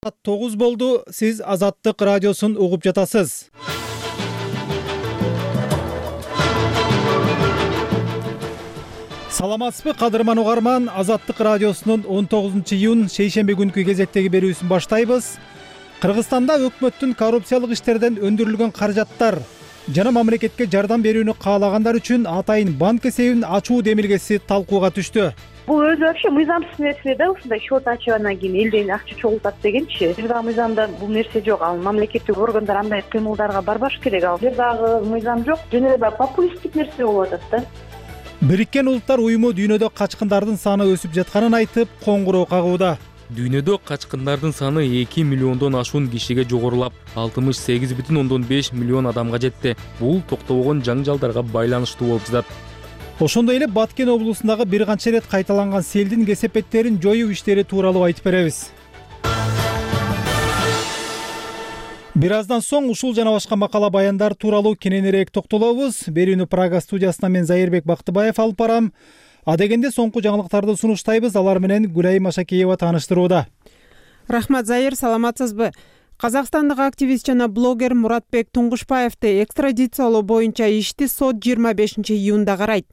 Саат 9 болду. Сиз Азаттык радиосун угуп жатасыз. Саламатсызбы кадырман угарман? Азаттык радиосунун 19-июнь шейшемби күнкү кезектеги берүүсүн баштайбыз. Кыргызстанда өкмөттүн коррупциялык иштерден өндүрүлгөн каражаттар жана мамлекетке жардам берүүнү каалагандар үчүн атайын банк эсебин ачуу демилгеси талкууга түштү. Бул өзү вообще мыйзамсыз нерсе да, ушундай счет ачып анан кийин элден акча чогултат дегенчи. Бир дагы мыйзамда бул нерсе жок. Ал мамлекеттик органдар андай кыймылдарга барбаш керек. Ал бир дагы мыйзам жок. Жөн эле популисттик нерсе болуп атат да. Бириккен Улуттар уюму дүйнөдө качкындардын саны өсүп жатканын айтып, коңгуроо кагууда. Дүйнөдө качкындардын саны 2 миллиондон ашуун кишиге жогорулап, 68,5 миллион адамга жетти. Бул токтобогон жаңжалдарга байланыштуу болуп жатат. Ошондой эле Баткен облусундагы бир канча ирет кайталанган селдин кесепеттерин жоюу иштери тууралуу айтып беребиз. Бир аздан соң ушул жана башка макала баяндар тууралуу кененирээк токтолобуз. Берүүнү Прага студиясынан мен Зайырбек Бактыбаев алып барам. Адегенде соңку жаңылыктарды сунуштайбыз. Алар менен Гүлайым Машакеева тааныштырууда. Рахмат, Зайыр, саламатсызбы? Казакстандык активист жана блогер Муратбек Туңгушбаевди экстрадициялоо боюнча ишти сот 25-июнда карайт.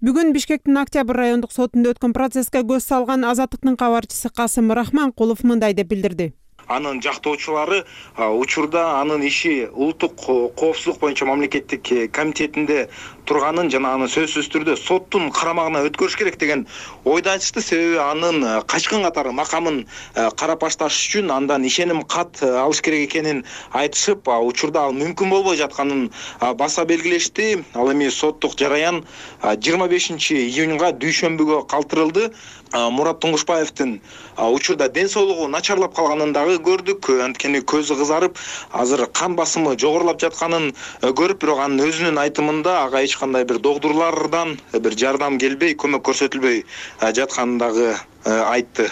Бүгүн Бишкектин Октябрь райондук сотунда өткөн процесске көз салган Азаттыктын кабарчысы Касым Рахманкулов мындай деп билдирди. Анын жактоочулары учурда анын иши улуттук коопсуздук боюнча мамлекеттик комитетинде турганын жана аны сөзсүз түрдө соттун карамагына өткөрүш керек деген ойду айтышты. Себеби анын качкын катары макамын карап башташ үчүн андан ишеним кат алыш керек экенин айтышып, учурда ал мүмкүн болбой жатканын баса белгилешти. Ал эми соттук жараян 25-июнга дүйшөмбүгө калтырылды. Мурат Туңгушбаевдин учурда ден соолугу начарлап калганын дагы көрдүк. Анткени көзү кызарып, азыр кан басымы жогорулап жатканын көрүп, бирок анын өзүнүн айтымында ага эч кандай бир догдурлардан бир жардам келбей, көмөк көрсөтүлбөй жатканын дагы айтты.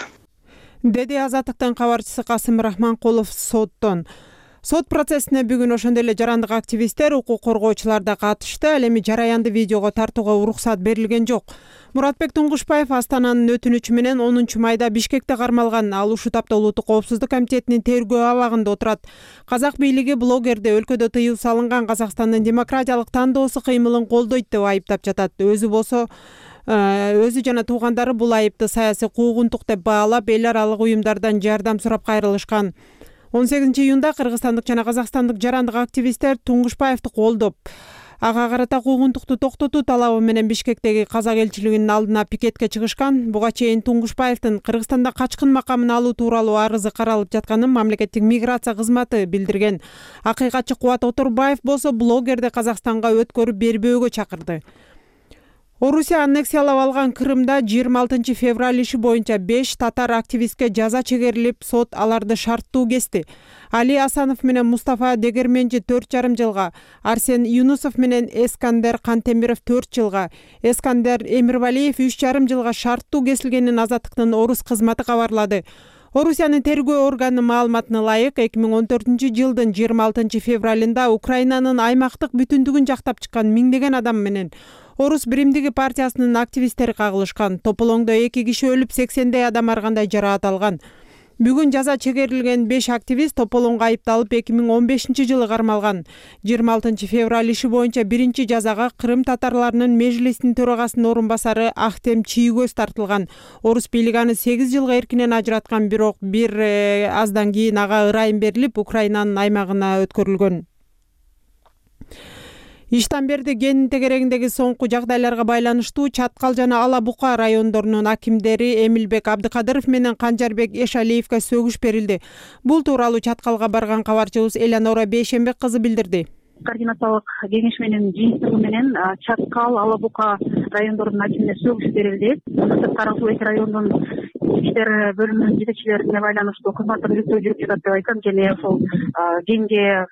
Деди Азаттыктын кабарчысы Касым Рахманкулов соттон. Сот процессине бүгүн ошондой эле жарандык активисттер, укук коргоочулар да катышты. Ал эми жараянды видеого тартууга уруксат берилген жок. Муратбек Туңгушбаев Астананын өтүнүчү менен 10-майда Бишкекте кармалган. Ал ушул тапта Улуттук коопсуздук комитетинин тергөө абагында отурат. Казак бийлиги блогерди өлкөдө тыюу салынган Казакстандын демократиялык тандоосу кыймылын колдойт деп айыптап жатат. Өзү жана туугандары бул айыпты саясий куугунтук деп баалап, эл аралык уюмдардан жардам сурап кайрылышкан. 18-июнда кыргызстандык жана казакстандык жарандык активисттер Туңгушбаевди колдоп, ага карата куугунтукту токтотуу талабы менен Бишкектеги казак элчилигинин алдына пикетке чыгышкан. Буга чейин Туңгушбаевдин Кыргызстанда качкын макамын алуу тууралуу арызы каралып жатканын мамлекеттик миграция кызматы билдирген. Акыйкатчы Кубат Оторбаев болсо блогерди Казакстанга өткөрүп бербөөгө чакырды. Орусия аннексиялап алган Крымда 26 февраль иши боюнча 5 татар активистке жаза чегерилип, сот аларды шарттуу кести. Али Асанов менен Мустафа Дегерменжи 4,5 жылга, Арсен Юнусов менен Эскандер Кантемиров 4 жылга, Эскандер Эмирвалиев 3,5 жылга шарттуу кесилгенин Азаттыктын Орус кызматы кабарлады. Орусиянын тергөө органынын маалыматына ылайык, 2014 жылдын 26 февралында Украинанын аймактык бүтүндүгүн жактап чыккан миңдеген адам менен Орус биримдиги партиясынын активисттери кагылышкан. Тополоңдо 2 киши өлүп, 80дей адам ар кандай жараат алган. Бүгүн жаза чегерилген 5 активист Тополоңго айыпталып 2015 жылы кармалган. 26 февраль иши боюнча биринчи жазага Крым татарларынын межлисинин төрагасынын орун басары Ахтем Чийгөз тартылган. Орус бийлиги аны 8 жылга эркинен ажыраткан, бирок бир аздан кийин ага ырайым берилип, Украинанын аймагына өткөрүлгөн. Иштамберди кенинин тегерегиндеги соңку жагдайларга байланыштуу Чаткал жана Ала Бука райондорунун акимдери Эмилбек Абдыкадыров менен Канжарбек Эшалиевге сөгүш берилди. Бул тууралуу Чаткалга барган кабарчыбыз Элянора Бейшембек кызы билдирди. Координациялык кеңеш менен жыйынтыгы менен Чаткал, Ала Бука райондорунун акимине сөгүш берилди. Карасуу эки райондун иштер бөлүмүнүн жетекчилерине байланыштуу кызматтык иликтөө жүрүп жатат деп айтам. Және ошол кенге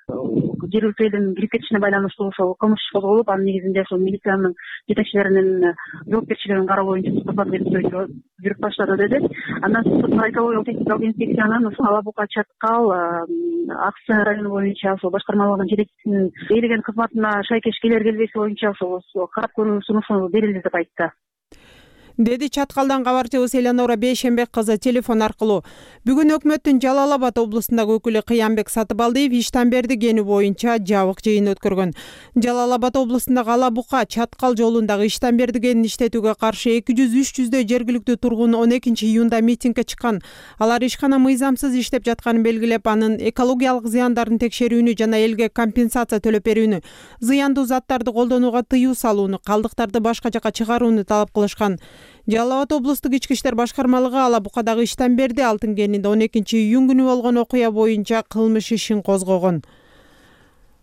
жергиликтүү элдин кирип кетишине байланыштуу ошол кылмыш иш козголуп, анын негизинде ошол милициянын жетекчилеринин жоопкерчилигин кароо боюнча кызматтык иликтөө жүрүп баштады деди. Андан соң экологиялык техникалык инспекциянын ошол Ала Бука, Чаткал, Аксы району боюнча ошол башкармалыгынын жетекчисинин берилген кызматына шайкеш келер келбеси боюнча ошол карап көрүү сунушу берилди деп айтты. деди Чаткалдан кабарчыбыз Элеонора Бейшенбек кызы телефон аркылуу. Бүгүн өкмөттүн Жалал Абад облустундагы өкүлү Кыянбек Сатыбалдиев Иштанберди кени боюнча жабык жыйын өткөргөн. Жалал Абад облустундагы Ала Бука Чаткал жолундагы Иштанберди кенин иштетүүгө каршы 200-300дөй жергиликтүү тургун 12-июнда митингге чыккан. Алар ишкана мыйзамсыз иштеп жатканын белгилеп, анын экологиялык зыяндарын текшерүүнү жана элге компенсация төлөп берүүнү, зыяндуу заттарды колдонууга тыюу салууну, калдыктарды башка жака чыгарууну талап кылышкан. Жалал Абад облустук ички иштер башкармалыгы Ала Букадагы Иштанберди алтын кенинде 12-июнь күнү болгон окуя боюнча кылмыш ишин козгогон.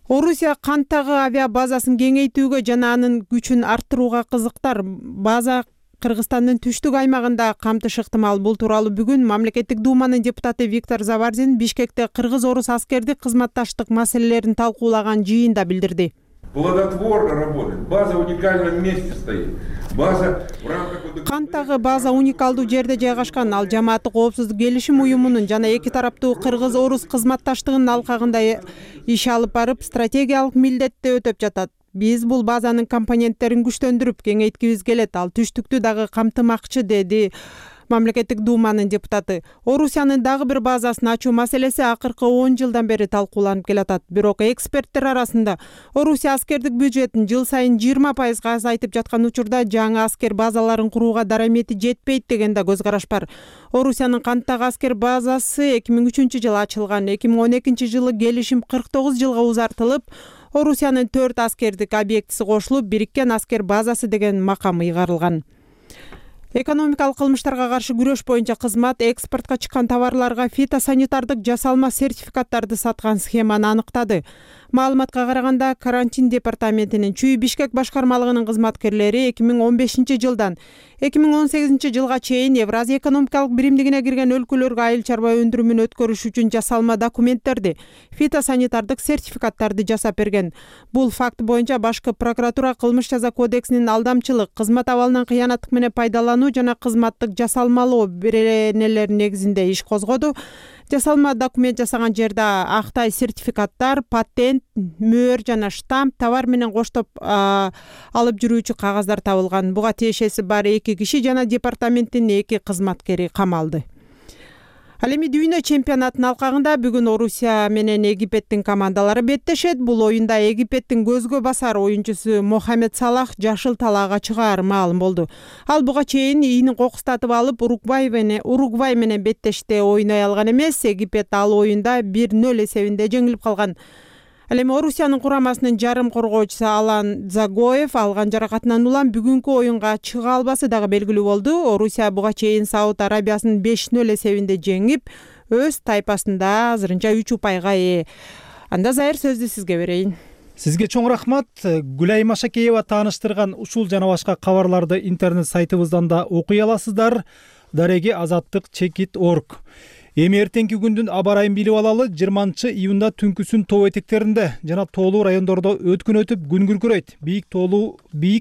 Орусия канттагы авиа базасын кеңейтүүгө жана анын күчүн арттырууга кызыктар. База Кыргызстандын түштүк аймагында камтыш ыктымал. Бул тууралуу бүгүн Мамлекеттик Думанын депутаты Виктор Заварзин Бишкекте кыргыз-орус аскердик кызматташтык маселелерин талкуулаган жыйында билдирди. Плодотворно работает. База в уникальном месте стоит. База в рамках... Канттагы база уникалдуу жерде жайгашкан. Ал жамааттык коопсуздук келишим уюмунун жана эки тараптуу кыргыз-орус кызматташтыгынын алкагында иш алып барып, стратегиялык милдетти өтөп жатат. Биз бул базанын компоненттерин күчтөндүрүп, кеңейткибиз келет. Ал түштүктү дагы камтымакчы, деди Мамлекеттик Думанын депутаты. Орусиянын дагы бир базасын ачуу маселеси акыркы 10 жылдан бери талкууланып келатат. Бирок эксперттер арасында Орусия аскердик бюджетин жыл сайын 20% азайтып жаткан учурда жаңы аскер базаларын курууга дарамети жетпейт деген да көз караш бар. Орусиянын канттагы аскер базасы 2003-жылы ачылган. 2012-жылы келишим 49 жылга узартылып, Орусиянын 4 аскердик объектиси кошулуп, бириккен аскер базасы деген макам ыйгарылган. Экономикалык кылмыштарга каршы күрөш боюнча кызмат экспортко чыккан товарларга фитосанитардык жасалма сертификаттарды саткан схеманы аныктады. Маалыматка караганда, карантин департаментинин Чүй Бишкек башкармалыгынын кызматкерлери 2015-жылдан 2018-жылга чейин Евразия экономикалык биримдигине кирген өлкөлөргө айыл чарба өндүрүмүн өткөрүш үчүн жасалма документтерди, фитосанитардык сертификаттарды жасап берген. Бул факт боюнча башкы прокуратура кылмыш жаза кодексинин алдамчылык, кызмат абалынан кыянаттык менен пайдалануу жана кызматтык жасалмалоо беренелери негизинде иш козгоду. Жасалма документ жасаган жерде актай сертификаттар, патент, мөөр жана штамп, товар менен коштоп алып жүрүүчү кагаздар табылган. Буга тиешеси бар 2 киши жана департаменттин 2 кызматкери камалды. Ал эми дүйнө чемпионатынын алкагында бүгүн Орусия менен Египеттин командалары беттешет. Бул оюнда Египеттин көзгө басар оюнчусу Мохамед Салах жашыл талаага чыгаар маалым болду. Ал буга чейин ийинин кокустатып алып, Уругвай менен беттеште ойной алган эмес. Египет ал оюнда 1-0 эсебинде жеңилип калган. Ал эми Орусиянын курамасынын жарым коргоочусу Алан Загоев алган жаракатынан улам бүгүнкү оюнга чыга албасы дагы белгилүү болду. Орусия буга чейин Сауд Арабиясын 5-0 эсебинде жеңип, өз тайпасында азырынча 3 упайга ээ. Анда Зайыр, сөздү сизге берейин. Сизге чоң рахмат. Гүлай Машакеева тааныштырган ушул жана башка кабарларды интернет сайтыбыздан да окуй аласыздар. Дареги azattik.org. Эми эртеңки күндүн аба ырайын билип алалы. 20-июнда түнкүсүн тоо этектеринде жана тоолуу райондордо өткүн өтүп күн күркүрөйт. Бийик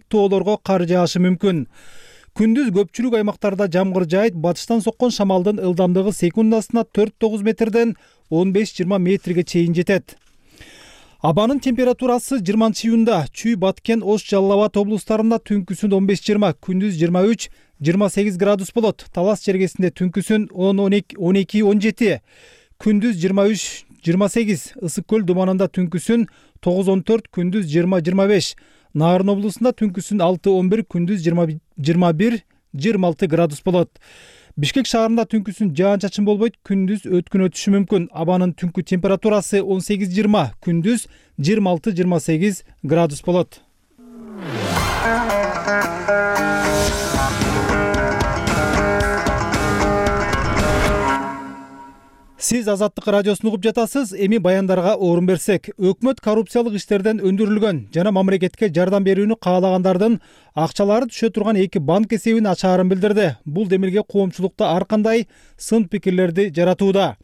тоолорго кар жаашы мүмкүн. Күндүз көпчүлүк аймактарда жамгыр жаайт. Батыштан соккон шамалдын ылдамдыгы секундасына 4-9 метрден 15-20 метрге чейин жетет. Абанын температурасы 20-июнда Чүй, Баткен, Ош, Жалал Абад облустарында түнкүсүн 15-20, күндүз 23-28 градус болот. Талас жергесинде түнкүсүн 10-12-17, күндүз 23-28, Ысык көл думанында түнкүсүн 9-14, күндүз 20-25, Нарын облусунда түнкүсүн 6-11, күндүз 21-26 градус болот. Бишкек шаарында түнкүсүн жаан-чачын болбойт, күндүз өткүн өтүшү мүмкүн. Абанын түнкү температурасы 18-20, күндүз 26-28 градус болот. Сиз Азаттык радиосун угуп жатасыз. Эми баяндарга орун берсек, өкмөт коррупциялык иштерден өндүрүлгөн жана мамлекетке жардам берүүнү каалагандардын акчалары түшө турган 2 банк эсебин ачаарын билдирди. Бул демилге коомчулукта ар кандай сын пикирлерди жаратууда.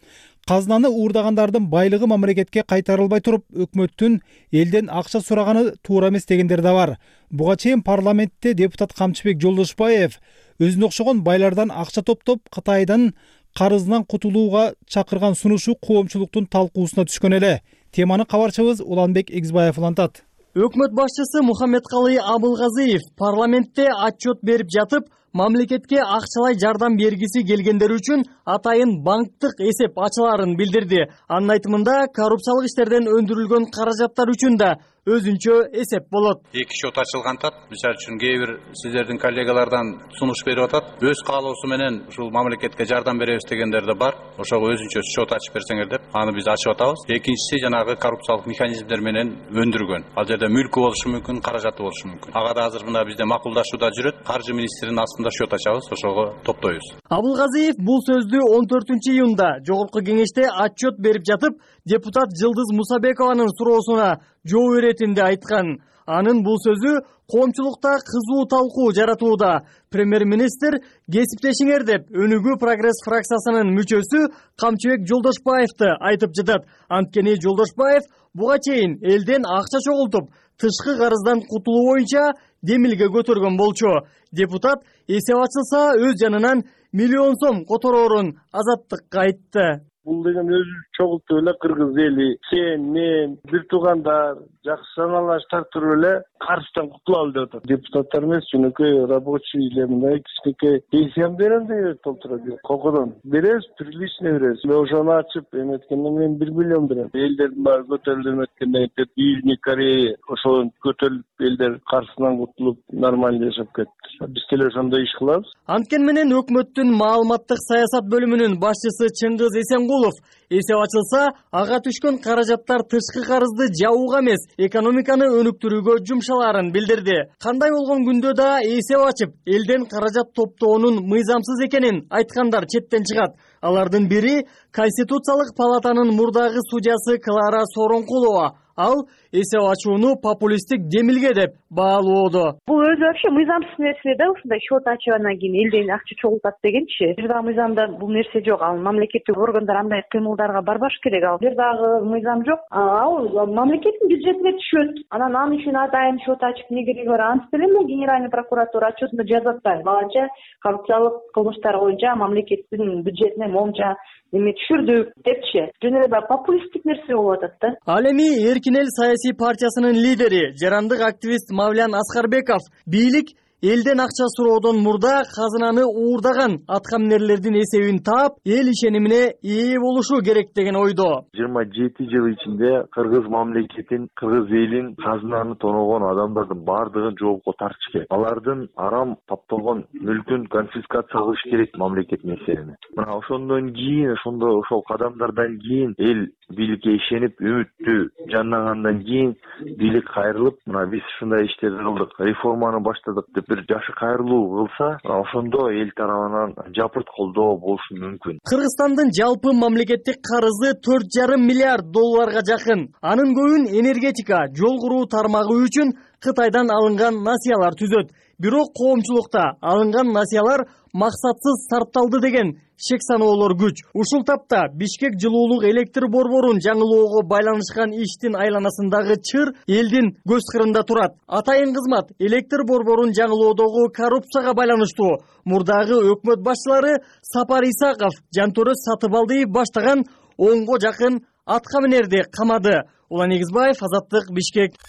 Казынаны уурдагандардын байлыгы мамлекетке кайтарылбай туруп, өкмөттүн элден акча сураганы туура эмес дегендер да бар. Буга чейин парламентте депутат Камчыбек Жолдошбаев өзүнө окшогон байлардан акча топтоп, Кытайдын карызынан кутулууга чакырган сунушу коомчулуктун талкуусуна түшкөн эле. Теманы кабарчыбыз Уланбек Эксбаев улантат. Өкмөт башчысы Мухаммедкалый Абылгазиев парламентте отчет берип жатып, мамлекетке акчалай жардам бергиси келгендер үчүн атайын банктык эсеп ачылаарын билдирди. Анын айтымында коррупциялык иштерден өндүрүлгөн каражаттар үчүн да өзүнчө эсеп болот. Эки счет ачылган атат. Мисалы үчүн кээ бир сиздердин коллегалардан сунуш берип атат. Өз каалоосу менен ушул мамлекетке жардам беребиз дегендер да бар. Ошого өзүнчө счет ачып берсеңер деп, аны биз ачып атабыз. Экинчиси жанагы коррупциялык механизмдер менен өндүргөн. Ал жерде мүлкү болушу мүмкүн, каражаты болушу мүмкүн. Ага да азыр мына бизде макулдашууда жүрөт. Каржы министринин астында счет ачабыз, ошого топтойбуз. Абылгазиев бул сөздү 14-июнда жогорку кеңеште отчет берип жатып, депутат Жылдыз Мусабекованын суроосуна жооп иретинде айткан. Анын бул сөзү коомчулукта кызуу талкуу жаратууда. Премьер-министр кесиптешиңер деп Өнүгүү прогресс фракциясынын мүчөсү Камчыбек Жолдошбаевди айтып жатат. Анткени Жолдошбаев буга чейин элден акча чогултуп, тышкы карыздан кутулуу боюнча демилге көтөргөн болчу. Депутат эсеп ачылса өз жанынан миллион сом котороорун Азаттыкка айтты. Бул деген өзү чогултуп эле кыргыз эли, сен, мен, бир туугандар жакшы саналаш тартырып эле карыздан кутулалы деп атат. Депутаттар эмес, жөнөкөй рабочийлер мындай кичинекей пенсиям берем деп толтурат. Кокодон беребиз, прилично беребиз. Ошону ачып эметкенден мен 1 миллион берем. Элдердин баары көтөрүлүп эметкенден кийин Южный Корея ошол көтөрүлүп элдер карызынан кутулуп нормально жашап кетти. Биз деле ошондой иш кылабыз. Анткени менен өкмөттүн маалыматтык саясат бөлүмүнүн башчысы Чыңгыз Эсенгулов эсеп ачылса, ага түшкөн каражаттар тышкы карызды жабууга эмес, экономиканы өнүктүрүүгө жумшалаарын билдирди. Кандай болгон күндө да эсеп ачып, элден каражат топтоонун мыйзамсыз экенин айткандар четтен чыгат. Алардын бири Конституциялык палатанын мурдагы судьясы Клара Сооронкулова. Ал эсеп ачууну популисттик демилге деп баалоодо. Бул өзү вообще мыйзамсыз нерсе да, ушундай счет ачып анан кийин элден акча чогултат дегенчи. Бир дагы мыйзамда бул нерсе жок. Ал мамлекеттик органдар андай кыймылдарга барбаш керек. Ал бир дагы мыйзам жок. Ал мамлекеттин бюджетине түшөт. Анан ал үчүн атайын счет ачып не кереги бар? Антип эле Генеральный прокуратура отчетунда жазат да. Баланча коррупциялык кылмыштар боюнча мамлекеттин бюджетине момча эме түшүрдүк депчи. Жөн эле популисттик нерсе болуп атат да. Ал эми Эркин эл саясий партиясынын лидери, жарандык активист Мавлян Аскарбеков бийлик элден акча суроодон мурда казынаны уурдаган аткаминерлердин эсебин таап, эл ишенимине ээ болушу керек деген ойдо. 27 жыл ичинде кыргыз мамлекетин, кыргыз элин казынаны тоногон адамдардын баардыгын жоопко тартыш керек. Алардын арам тапталган мүлкүн конфискация кылыш керек мамлекет меселени. Мына ошондон кийин, ошол кадамдардан кийин эл бийликке ишенип, үмүттүү жанагандан кийин бийлик кайрылып, мына биз ушундай иштерди кылдык, реформаны баштадык деп бир жашы кайрылуу кылса, ошондо эл тарабынан жапырт колдоо болушу мүмкүн. Кыргызстандын жалпы мамлекеттик карызы 4,5 миллиард долларга жакын. Анын көбүн энергетика, жол куруу тармагы үчүн Кытайдан алынган насыялар түзөт. Бирок коомчулукта алынган насыялар максатсыз сарпталды деген шек саноолор күч. Ушул тапта Бишкек жылуулук электр борборун жаңылоого байланышкан иштин айланасындагы чыр элдин көз кырында турат. Атайын кызмат электр борборун жаңылоодогу коррупцияга байланыштуу мурдагы өкмөт башчылары Сапар Исаков, Жантөрөз Сатыбалдиев баштаган 10го жакын аткаминерди камады. Улан Негизбаев, Азаттык, Бишкек.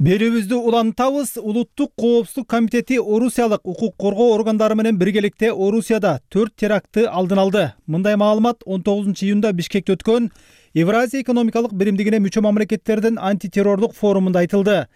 Берүүбүздү улантабыз. Улуттук коопсуздук комитети Орусиялык укук коргоо органдары менен биргеликте Орусияда 4 терактты алдын алды. Мындай маалымат 19-июнда Бишкекте өткөн Евразия экономикалык биримдигине мүчө мамлекеттердин антитеррордук форумунда айтылды.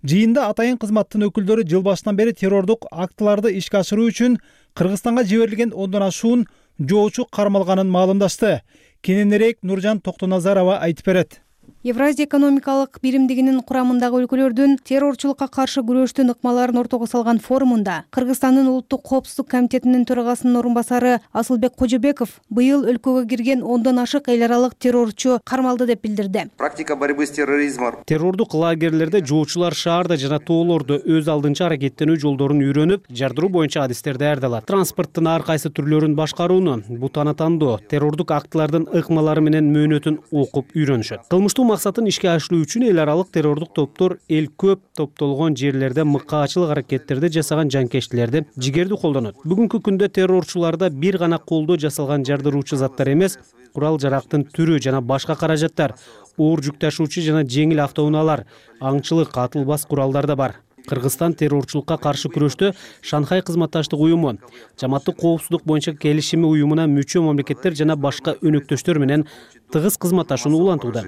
Жыйында атайын кызматтын өкүлдөрү жыл башынан бери террордук актыларды ишке ашыруу үчүн Кыргызстанга жиберилген 10дон ашуун жоочу кармалганын маалымдашты. Кененирээк Нуржан Токтоназарова айтып берет. Евразия экономикалык биримдигинин курамындагы өлкөлөрдүн террорчулукка каршы күрөштүн ыкмаларын ортого салган форумунда Кыргызстандын улуттук коопсуздук комитетинин төрагасынын орун басары Асылбек Кожобеков быйыл өлкөгө кирген 10дон ашык эл аралык террорчу кармалды деп билдирди. Практика борьбы с терроризмом. Террордук лагерлерде жоочулар шаарда жана тоолордо өз алдынча аракеттенүү жолдорун үйрөнүп, жардыруу боюнча адистерди даярдалат. Транспорттун ар кайсы түрлөрүн башкарууну, бутаны тандоо, террордук актылардын ыкмалары менен мөөнөтүн окуп үйрөнүшөт. Кылмыштуу максатын ишке ашыруу үчүн эл аралык террордук топтор эл көп топтолгон жерлерде мыкаачылык аракеттерди жасаган жанкечтилерди жигердүү колдонот. Бүгүнкү күндө террорчуларда бир гана колдо жасалган жардыруучу заттар эмес, курал жарактын түрү жана башка каражаттар, оор жүк ташуучу жана жеңил автоунаалар, аңчылык, атылбас куралдар да бар. Кыргызстан террорчулукка каршы күрөштө Шанхай кызматташтык уюму, Жамааттык коопсуздук боюнча келишими уюмуна мүчө мамлекеттер жана башка өнөктөштөр менен тыгыз кызматташууну улантууда.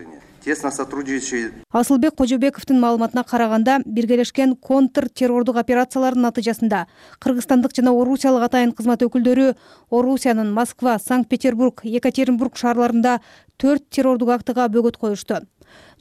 Асылбек Кожобековдун маалыматына караганда, биргелешкен контртеррордук операциялардын натыйжасында кыргызстандык жана орусиялык атайын кызмат өкүлдөрү Орусиянын Москва, Санкт-Петербург, Екатеринбург шаарларында 4 террордук актыга бөгөт коюшту.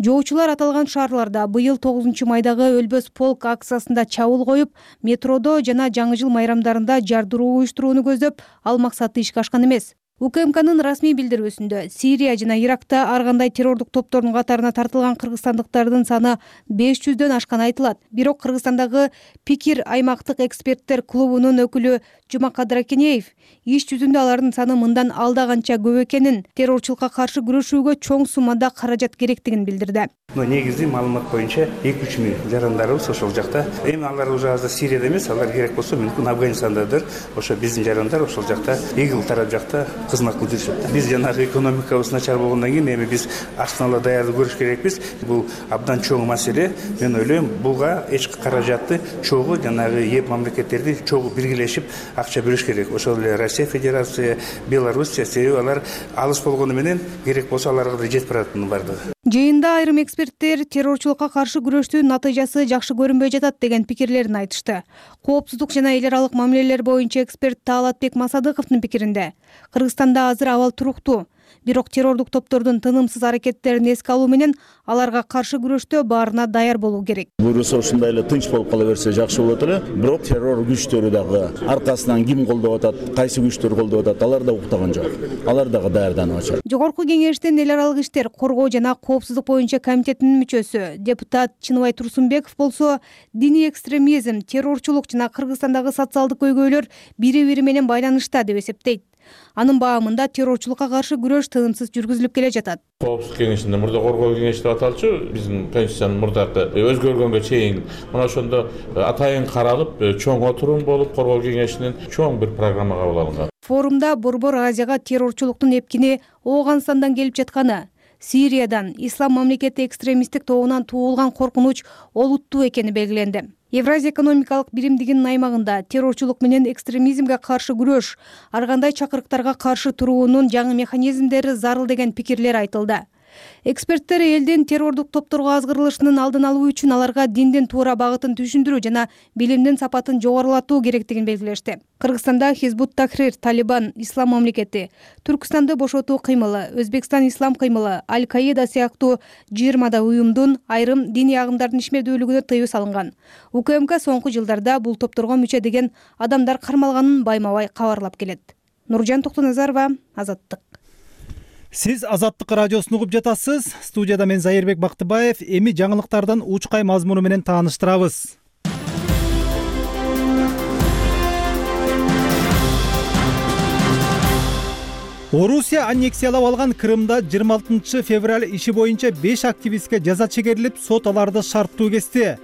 Жоочулар аталган шаарларда быйыл 9 майдагы Өлбөс полк акциясында чабуул коюп, метродо жана жаңы жыл майрамдарында жардыруу уюштурууну көздөп, ал максатты ишке ашкан эмес. УКМКнын расмий билдирүүсүндө Сирия жана Иракта ар кандай террордук топтордун катарына тартылган кыргызстандыктардын саны 500дөн ашканы айтылат. Бирок Кыргызстандагы Пикир аймактык эксперттер клубунун өкүлү Жумакадыр Акенеев иш жүзүндө алардын саны мындан алда канча көп экенин, террорчулукка каршы күрөшүүгө чоң суммада каражат керектигин билдирди. Негизи маалымат боюнча 2-3 миң жарандарыбыз ошол жакта. Эми алар уже азыр Сирияда эмес, алар керек болсо мүмкүн Афганистандадыр. Ошо биздин жарандар ошол жакта, ИГИЛ тарап жакта кызмат кылып жүрүшөт. Биз жанагы экономикабыз начар болгондон кийин эми биз аштын ала даярдык көрүш керекпиз. Бул абдан чоң маселе. Мен ойлойм, буга эч каражатты чогуу жанагы еп мамлекеттерди чогуу биргелешип акча бөлүш керек. Ошол эле Россия Федерация, Белоруссия, себеби алар алыс болгону менен керек болсо аларга да жетип баратынын бардыгы. Жыйында айрым эксперттер террорчулукка каршы күрөштүн натыйжасы жакшы көрүнбөй жатат деген пикирлерин айтышты. Коопсуздук жана эл аралык мамилелер боюнча эксперт Таалатбек Масадыковдун пикиринде, Кыргызстанда азыр абал туруктуу. Бирок террордук топтордун тынымсыз аракеттерин эске алуу менен аларга каршы күрөштө баарына даяр болуу керек. Буюрса ушундай эле тынч болуп кала берсе жакшы болот эле. Бирок террор күчтөрү дагы аркасынан ким колдоп атат, кайсы күчтөр колдоп атат, алар да уктаган жок. Алар дагы даярданып атышат. Жогорку кеңештин эл аралык иштер коргоо жана коопсуздук боюнча комитетинин мүчөсү депутат Чыныбай Турсунбеков болсо, диний экстремизм, террорчулук жана Кыргызстандагы социалдык көйгөйлөр бири-бири менен байланышта деп эсептейт. Анын баамында террорчулукка каршы күрөш тынымсыз жүргүзүлүп келе жатат. Коопсуздук кеңешинде мурда коргоо кеңеши деп аталчу, биздин конституциянын мурдакы өзгөргөнгө чейин мына ошондо атайын каралып, чоң отурум болуп, коргоо кеңешинин чоң бир программа кабыл алынган. Форумда Борбор Азияга террорчулуктун эпкини Ооганстандан келип жатканы, Сириядан, ислам мамлекети экстремисттик тобунан туулган коркунуч олуттуу экени белгиленди. Евразия экономикалык биримдигинин аймагында террорчулук менен экстремизмге каршы күрөш, ар кандай чакырыктарга каршы туруунун жаңы механизмдери зарыл деген пикирлер айтылды. Эксперттер элдин террордук топторго азгырылышынын алдын алуу үчүн аларга диндин туура багытын түшүндүрүү жана билимдин сапатын жогорулатуу керектигин белгилешти. Кыргызстанда Хизбут Тахрир, Талибан, Ислам мамлекети, Түркстанды бошотуу кыймылы, Өзбекстан ислам кыймылы, Аль-Каида сыяктуу 20 уюмдун айрым диний агымдардын ишмердүүлүгүнө тыюу салынган. УКМК соңку жылдарда бул топторго мүчө деген адамдар кармалганын байма-бай кабарлап келет. Нуржан Токтоназарова, Азаттык. Сиз Азаттык радиосун угуп жатасыз. Студияда мен Зайырбек Бактыбаев. Эми жаңылыктардын учкай мазмуну менен тааныштырабыз. Орусия аннексиялап алган Крымда 26 февраль иши боюнча 5 активистке жаза чегерилип, сот аларды шарттуу кести.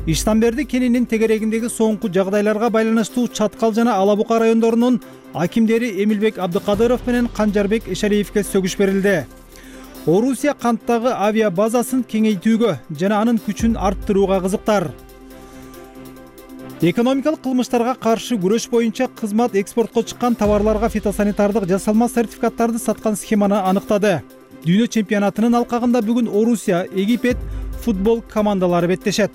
Иштамберди кенинин тегерегиндеги соңку жагдайларга байланыштуу Чаткал жана Алабука райондорунун акимдери Эмилбек Абдыкадыров менен Канжарбек Эшалиевке сөгүш берилди. Орусия канттагы авиа базасын кеңейтүүгө жана анын күчүн арттырууга кызыктар. Экономикалык кылмыштарга каршы күрөш боюнча кызмат экспортко чыккан товарларга фитосанитардык жасалма сертификаттарды саткан схеманы аныктады. Дүйнө чемпионатынын алкагында бүгүн Орусия, Египет футбол командалары беттешет.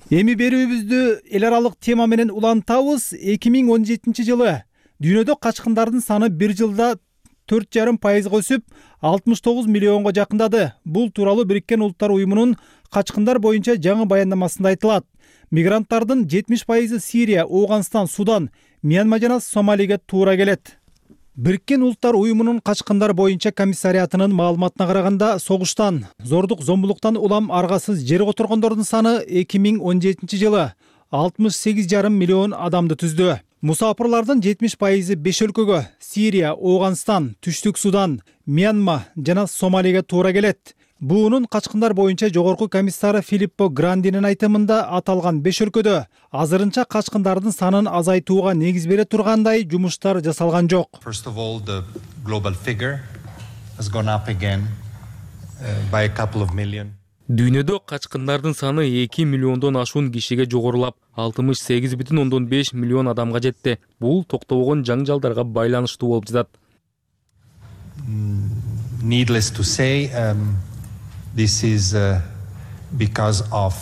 Эми берүүбүздү эл аралык тема менен улантабыз. 2017 жылы дүйнөдө качкындардын саны бир жылда 4,5% өсүп, 69 миллионго жакындады. Бул тууралуу Бириккен Улуттар уюмунун качкындар боюнча жаңы баяндамасында айтылат. Мигранттардын 70% Сирия, Ооганстан, Судан, Мьянма жана Сомалиге туура келет. Бириккен Улуттар уюмунун качкындар боюнча комиссариатынын маалыматына караганда, согуштан, зордук, зомбулуктан улам аргасыз жер которгондордун саны 2017 жылы 68,5 миллион адамды түздү. Мусапырлардын 70% 5 өлкөгө — Сирия, Ооганстан, Түштүк Судан, Мьянма жана Сомалиге туура келет. Буунун качкындар боюнча жогорку комиссары Филиппо Грандинин айтымында аталган 5 өлкөдө азырынча качкындардын санын азайтууга негиз бере тургандай жумуштар жасалган жок. First of all, the global figure has gone up again by a couple of million. Дүйнөдө качкындардын саны 2 миллиондон ашуун кишиге жогорулап, 68,5 миллион адамга жетти. Бул токтобогон жаңжалдарга байланыштуу болуп жатат. Needless to say, this is because of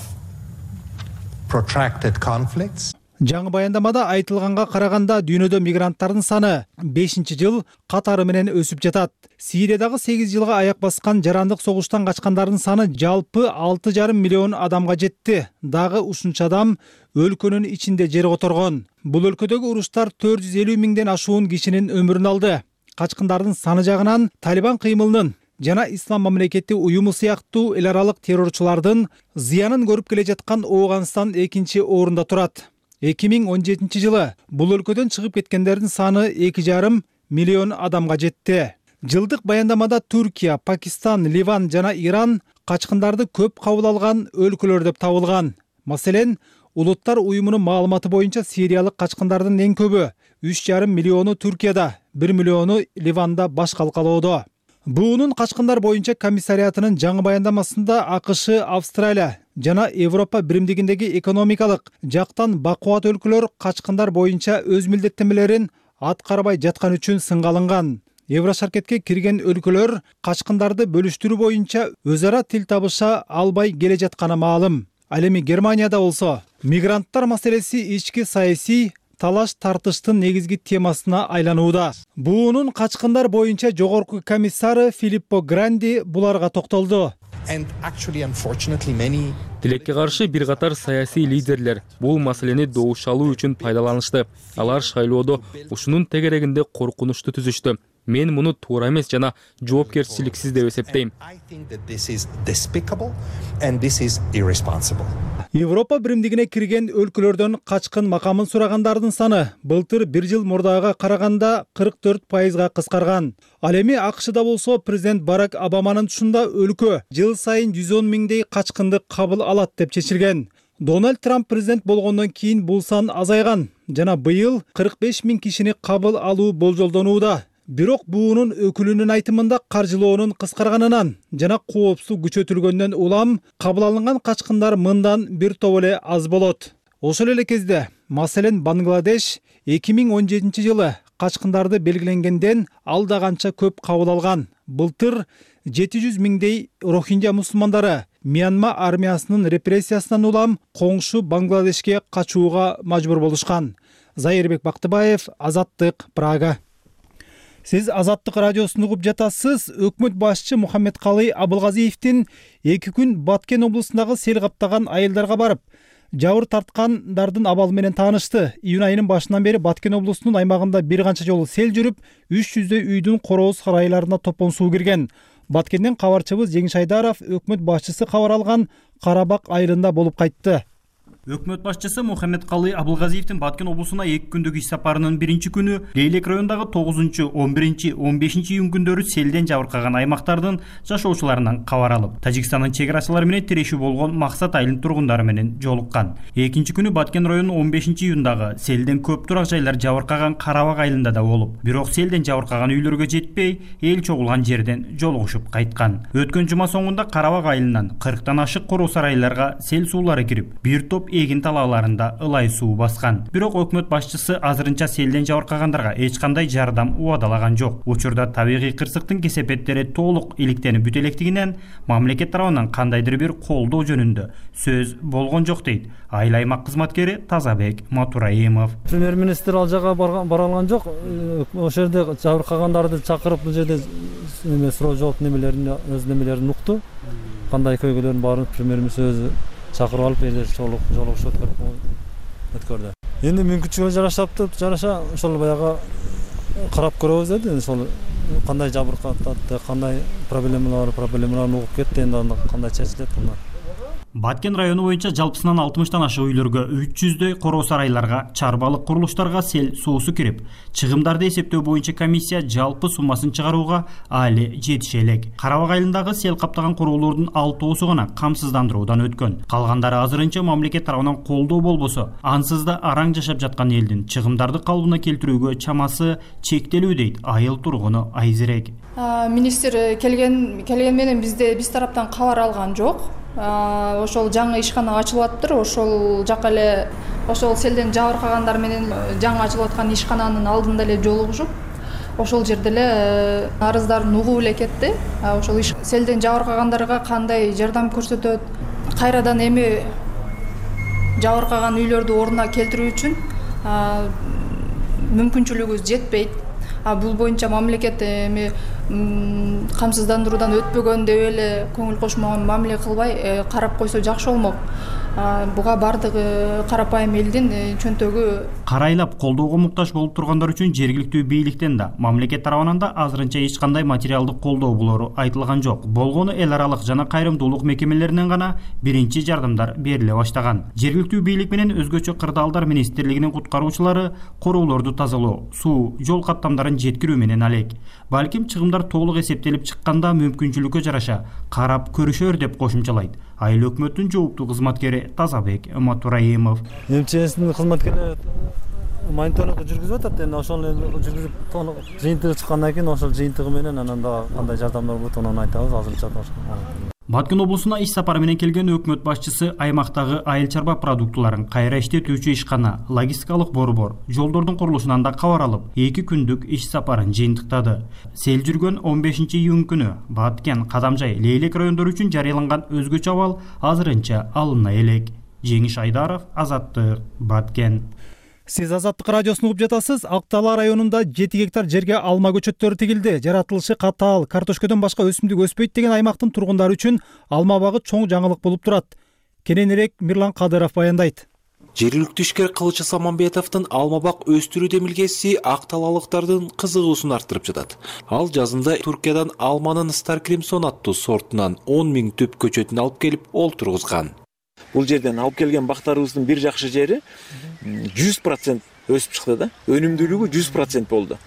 protracted conflicts. Жаңы баяндамада айтылганга караганда дүйнөдө мигранттардын саны 5-жыл катары менен өсүп жатат. Сириядагы 8 жылга аяк баскан жарандык согуштан качкандардын саны жалпы 6,5 миллион адамга жетти. Дагы ушунча адам өлкөнүн ичинде жер которгон. Бул өлкөдөгү уруштар 450 миңден ашуун кишинин өмүрүн алды. Качкындардын саны жагынан Талибан кыймылынын жана Ислам мамлекети уюму сыяктуу эл аралык террорчулардын зыянын көрүп келе жаткан Ооганстан 2-чи орунда турат. 2017 жылы бул өлкөдөн чыгып кеткендердин саны 2,5 миллион адамга жетти. Жылдык баяндамада Түркия, Пакистан, Ливан жана Иран качкындарды көп кабыл алган өлкөлөр деп табылган. Маселен, Улуттар уюмунун маалыматы боюнча сириялык качкындардын эң көбү 3,5 миллиону Түркияда, 1 миллиону Ливанда баш калкалоодо. Буунун качкындар боюнча комиссариатынын жаңы баяндамасында АКШ, Австралия жана Европа биримдигиндеги экономикалык жактан бакубат өлкөлөр качкындар боюнча өз милдеттенмелерин аткарбай жаткан үчүн сынга алынган. Еврошаркетке кирген өлкөлөр качкындарды бөлүштүрүү боюнча өз ара тил табыша албай келе жатканы маалым. Ал эми Германияда болсо мигранттар маселеси ички саясий талаш-тартыштын негизги темасына айланууда. Буунун качкындар боюнча жогорку комиссары Филиппо Гранди буларга токтолду. Тилекке каршы бир катар саясий лидерлер бул маселени добушалуу үчүн пайдаланышты. Алар шайлоодо ушунун тегерегинде коркунучту түзүштү. Мен муну туура эмес жана жоопкерчиликсиз деп эсептейм. Европа биримдигине кирген өлкөлөрдөн качкын макамын сурагандардын саны былтыр 1 жыл мурдагыга караганда 44%га кыскарган. Ал эми АКШда болсо президент Барак Обаманын тушунда өлкө жыл сайын 110 миңдей качкынды кабыл алат деп чечилген. Дональд Трамп президент болгондон кийин бул сан азайган жана быйыл 45 миң кишини кабыл алуу болжолдонууда. Бирок буунун өкүлүнүн айтымында каржылоонун кыскарганынан жана коопсуздук күчөтүлгөндөн улам кабыл алынган качкындар мындан бир топ эле аз болот. Ошол эле кезде, маселен Бангладеш 2017 жылы качкындарды белгиленгенден алда канча көп кабыл алган. Былтыр 700 миңдей Рохинджа мусулмандары Мьянма армиясынын репрессиясынан улам коңшу Бангладешке качууга мажбур болушкан. Зайырбек Бактыбаев, Азаттык, Прага. Сиз Азаттык радиосун угуп жатасыз. Өкмөт башчы Мухаммедкалый Абылгазиевдин 2 күн Баткен облусундагы сел каптаган айылдарга барып, жабыр тарткандардын абалы менен таанышты. Июнь айынын башынан бери Баткен облусунун аймагында бир канча жолу сел жүрүп, 300дөй үйдүн корооз сарайларына топон суу кирген. Баткенден кабарчыбыз Жеңиш Айдаров өкмөт башчысы кабар алган Карабак айылында болуп кайтты. Өкмөт башчысы Мухаммедкалый Абылгазиевдин Баткен облусуна 2 күндүк иш сапарынын 1-чи күнү Лейлек районундагы 9-11, 15 июнь күндөрү селден жабыркаган аймактардын жашоочуларынан кабар алып, Тажикстандын чек-арачылары менен тирешүү болгон Максат айылынын тургундары менен жолуккан. 2-чи күнү Баткен районунун 15 июндагы селден көп турак жайлар жабыркаган Карабак айылында да болуп, бирок селден жабыркаган үйлөргө жетпей, эл чогулган жерден жолугушуп кайткан. Өткөн жума соңунда Карабак айылынан 40тан ашык короо сарайларга сел суулары кирип, бир топ эгин талааларында ылай суу баскан. Бирок өкмөт башчысы азырынча селден жабыркагандарга эч кандай жардам убадалаган жок. Учурда табигый кырсыктын кесепеттери толук иликтенип бүтө электигинен мамлекет тарабынан кандайдыр бир колдоо жөнүндө сөз болгон жок дейт айыл аймак кызматкери Тазабек Матураимов. Премьер-министр ал жага бара алган жок. Ошол жерде жабыркагандарды чакырып бул жерде суроо жооп немелерин өз немелерин укту. Кандай көйгөйлөрдүн баарын премьер-министр өзү чакырып алып эле жолугуш өткөрдү. Эми мүмкүнчүлүгүнө жараша ошол баягы карап көрөбүз деди. Ошол кандай жабыркатты, кандай проблемалар угуп кетти, эми кандай чечилет. Баткен району боюнча жалпысынан 60тан ашык үйлөргө, 300дөй короо сарайларга, чарбалык курулуштарга сел суусу кирип, чыгымдарды эсептөө боюнча комиссия жалпы суммасын чыгарууга али жетише элек. Карабак айылындагы сел каптаган короолордун 6оосу гана камсыздандыруудан өткөн. Калгандары азырынча мамлекет тарабынан колдоо болбосо, ансыз да араң жашап жаткан элдин чыгымдарды калыбына келтирүүгө чамасы чектелүү дейт айыл тургуну Айзерек. Министр келген менен биз тараптан кабар алган жок. Ошол жаңы ишкана ачылып атыптыр. Ошол жака эле ошол селден жабыркагандар менен жаңы ачылып аткан ишкананын алдында эле жолугушуп, ошол жерде эле арыздарын угуп эле кетти. Ошол селден жабыркагандарга кандай жардам көрсөтөт, кайрадан эми жабыркаган үйлөрдү ордуна келтирүү үчүн мүмкүнчүлүгүбүз жетпейт. Бул боюнча мамлекет эми камсыздандыруудан өтпөгөн деп эле көңүл кошмогон мамиле кылбай карап койсо жакшы болмок. Буга бардыгы карапайым элдин чөнтөгү карайлап колдоого муктаж болуп тургандар үчүн жергиликтүү бийликтен да, мамлекет тарабынан да азырынча эч кандай материалдык колдоо болору айтылган жок. Болгону эл аралык жана кайрымдуулук мекемелеринен гана биринчи жардамдар бериле баштаган. Жергиликтүү бийлик менен өзгөчө кырдаалдар министрлигинин куткаруучулары короолорду тазалоо, суу, жол каттамдарын жеткирүү менен алек. Балким чыгымдар толук эсептелип чыкканда мүмкүнчүлүккө жараша карап көрүшөр деп кошумчалайт айыл өкмөттүн жооптуу кызматкери Тазабек Матураимов. МЧСдин кызматкерлери мониторингди жүргүзүп атат. Эми ошону жүргүзүп жыйынтыгы чыккандан кийин ошол жыйынтыгы менен анан дагы кандай жардамдар болот анан айтабыз. Азырынча Баткен облусуна иш сапары менен келген өкмөт башчысы аймактагы айыл чарба продуктуларын кайра иштетүүчү ишкана, логистикалык борбор, жолдордун курулушунан да кабар алып, 2 күндүк иш сапарын жыйынтыктады. Сел жүргөн 15-июнь күнү Баткен, Кадамжай, Лейлек райондору үчүн жарыяланган өзгөчө абал азырынча алына элек. Жеңиш Айдаров, Азаттык, Баткен. Сиз Азаттык радиосун угуп жатасыз. Ак Дала районунда 7 гектар жерге алма көчөттөрү тигилди. Жаратылышы катаал, картошкодон башка өсүмдүк өспөйт деген аймактын тургундары үчүн алма багы чоң жаңылык болуп турат. Кененирээк Мирлан Кадыров баяндайт. Жергиликтүү ишкер Кылычы Саманбетовдун алма бак өстүрүү демилгеси ак талалыктардын кызыгуусун арттырып жатат. Ал жазында Туркиядан алманын Star Crimson аттуу сортунан 10 000 түп көчөтүн алып келип олтургузган. Бул жерден алып келген бактарыбыздын бир жакшы жери 100% өсүп чыкты да. Өнүмдүүлүгү 100% болду.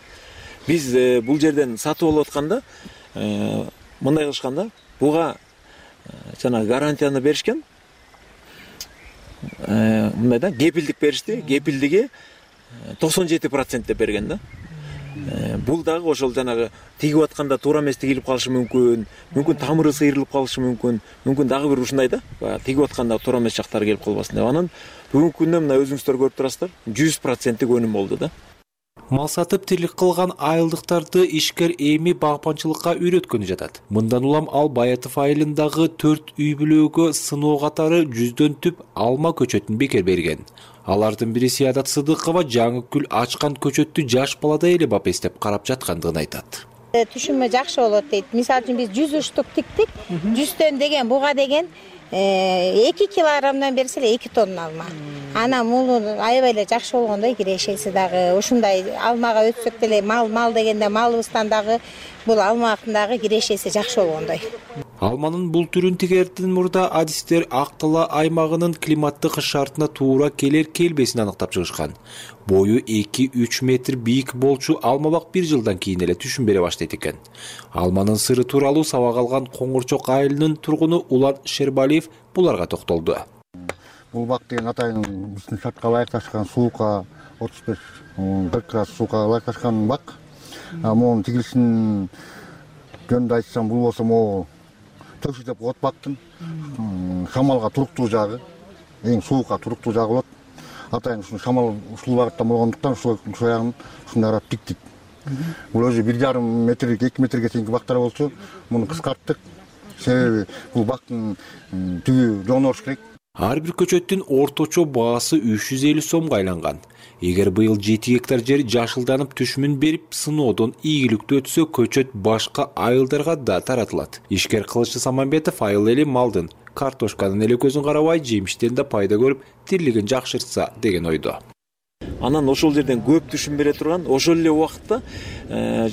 Биз бул жерден сатып алып атканда мындай кылышканда, буга жана гарантияны беришкен. Мындай да кепилдик беришти. Кепилдиги 97% деп берген да. Бул дагы ошол жанагы тигип атканда туура эмес тигилип калышы мүмкүн. Мүмкүн тамыры сыйрылып калышы мүмкүн. Мүмкүн дагы бир ушундай да. Тигип атканда туура эмес жактары келип калбасын деп. Анан бүгүнкү күндө мына өзүңүздөр көрүп турасыздар, 100% өнүм болду да. Мал сатып тирлик кылган айылдыктарды ишкер эми багпанчылыкка үйрөткөнү жатат. Мындан улам ал Баятов айылындагы 4 үй бүлөгө сыноо катары 100дөн түп алма көчөтүн бекер берген. Алардын бири Сиядат Сыдыкова жаңы гүл ачкан көчөттү жаш баладай эле бапестеп карап жаткандыгын айтат. Түшүнмө жакшы болот дейт. Мисалы үчүн биз 100 штук тиктик. 100төн деген буга деген 2 килограммдан берсе эле 2 тонна алма. Анан муну аябай эле жакшы болгондой кирешеси дагы ушундай алмага өтсөк деле мал дегенде малыбыздан дагы бул алмактын дагы кирешеси жакшы болгондой. Алманын бул түрүн тигерден мурда адистер Ак Дала аймагынын климаттык шартына туура келер-келбесин аныктап чыгышкан. Бою 2-3 метр бийик болчу алма бак 1 жылдан кийин эле түшүн бере баштайт экен. Алманын сыры тууралуу сабак алган Коңурчок айылынын тургуну Улан Шербалиев буларга токтолду. Бул бак деген атайын биздин шартка ылайыкташкан суукка 35-40 градус суукка ылайыкташкан бак. Мунун тигилишин жөнүндө айтсам, бул болсо могу төшү деп коет бактын. Шамалга туруктуу жагы, эң суукка туруктуу жагы болот. Атайын ушул шамал ушул багытта болгондуктан ушул ягын ушундай карап тиктик. Бул өзү 1,5 метрлик, 2 метрге чейинки бактар болчу, муну кыскарттык. Себеби бул бактын түбү жонош керек. Ар бир көчөттүн орточо баасы 350 сомго айланган. Эгер быйыл 7 гектар жер жашылданып түшүмүн берип, сыноодон ийгиликтүү өтсө, көчөт башка айылдарга да таратылат. Ишкер Кылычы Саманбетов айыл эли малдын, картошканын эле көзүн карабай, жемиштен да пайда көрүп, тирлигин жакшыртса деген ойдо. Анан ошол жерден көп түшүм бере турган, ошол эле убакытта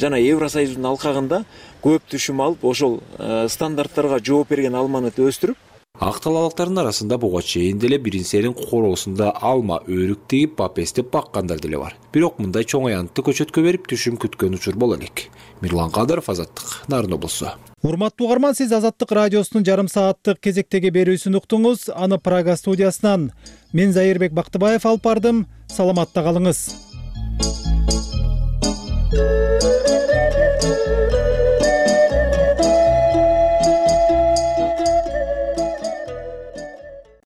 жана Евросоюздун алкагында көп түшүм алып, ошол стандарттарга жооп берген алманы өстүрүп, Акталалыктардын арасында буга чейин деле биринсерин короосунда алма, өрүк тигип, папестеп баккандар деле бар. Бирок мындай чоң аянтты көчөткө берип түшүм күткөн учур боло элек. Мирлан Кадыров, Азаттык, Нарын облусу. Урматтуу угарман, сиз Азаттык радиосунун жарым сааттык кезектеги берүүсүн уктуңуз. Аны Прага студиясынан мен Зайырбек Бактыбаев алып бардым. Саламатта калыңыз.